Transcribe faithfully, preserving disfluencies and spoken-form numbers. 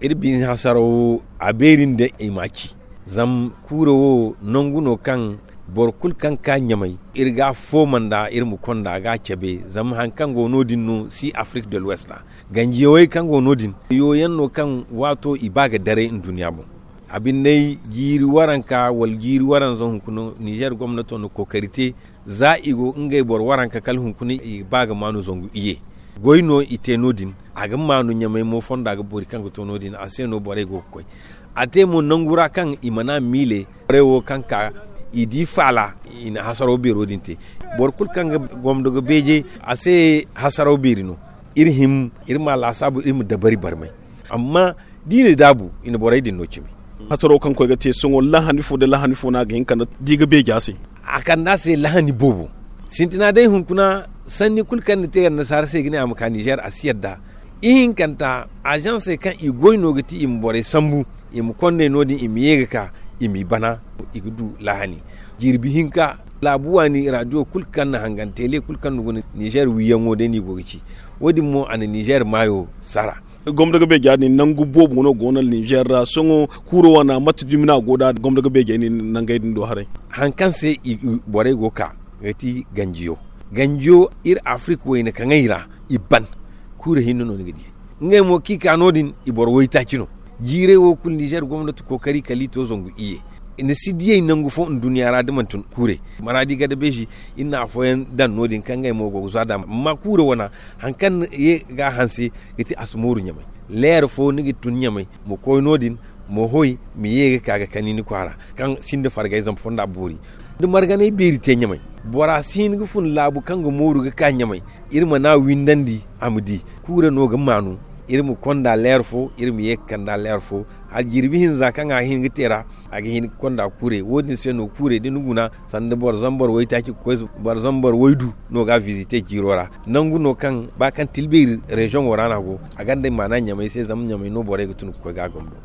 Iri bine hasaraw wo, a beeri nda i ma ci. Zama kuura wo nangu no kaŋ boro kulu kaŋ ga ka ɲamay, iri ga a fooma nd'a, iri ma konda ga a cabe. Zama hari kaŋ go no- din no si afrik de l'ouest ra, ganjiyawey kaŋ go no- din, yooyaŋ no kaŋ waato i ba ga daray nduɲɲa boŋ. A binde, jiiri waranka wala jiiri waranza hunkuna, nizer gomnato na kookari te. Za i go ngey boro waranka kala hunkuna i ga ba ga maanu zangu iyye. Goy no i te no- din. A ga maanu ɲamay mo fonda ga boori kaŋ ga to no- din, a se no borey go ga koy. A te mo nangu ra kaŋ i mana miile borey wo kaŋ ka, i di faala, i na hasaraw beero din te. Boro kulu kaŋ ga gomdo ga beeje, a se hasaraw beeri no. Iri him, iri ma laasaabu, iri ma dabari barmay. Amma da i na daabu, i na borey din no cimi. Hasaraw kaŋ koy ga te sohõ, lahani fo nda lahani fo no a ga hin ka di ga beeje a se? A kande a se lahani boobo. Sintina day hunkuna, sanni kulu kaŋ ni te annasaara se ga ne a ma ka nizer, a si yadda. Ihinkanta, azansey kaŋ i goy no ga ti i ma borey sambu, i ma kondey no- din, i ma ye ga ka, i m'i bana, i ga du lahani. Jirbi hinka, laabu waani radiyo kulu kaŋ na hangan, tele kulu kaŋ na guna nizer wiiyaŋo day no i go ga ci. Wo- din mo a na nizer maayo sara. Gomdo ga beeja din nangu boobo no go no nizer ra sohõ. Kuuro wane mate dumi no a go nd'a gomdo ga beejey nangey din do haray? Hari kaŋ se borey go ga ka, ga ti ganjiyo. Ganjiyo, iri afrik wayna kaŋey ra, i ban. Kuura hinne no ni ga di. Ngey mo kaŋ i ka no- din, i boro waytaaci no. Jiirey wo kulu nizer gomnati kookari kala i to zangu iyye. I na si diyey nangu fo nduɲɲa ra da manti kuurey. Maraadi gadabeezi, iri na afooyaŋ daŋ no- din kaŋ ngey mo go ga za nd'a. Amma kuura wane, hari kaŋ ye ga a hanse, ga ti a si mooru ɲamay. Leer fo ni ga tun ɲamay, ma koy no- din, ma hoy, ma ye ga ka ga kani ni kwaara, kaŋ sinda fargay zama fonda boori. Da marganay beeri te ɲamay, bora si hin ga fun laabu kaŋ ga mooru ga ka ɲamay. Iri mana windandi a ma di. Kuura no ga maanu. Iri ma konda leer fo, iri ma ye ga kanda leer fo. Hala jirbi hinza kaŋ a ga hin ga te ra, a ga hin ga konda kuurey. Wo- din se no kuurey da ni guna, sanda boro zambar waytaaci ga koy, boro zambar waydu no ga a visite jiiro ra. Nangu no kaŋ ba kaŋ tilbeeri reziyoŋo ra no a go, a gonda maana ɲamay se, zama ɲamay no borey ga tun ga koy ga a gomdo.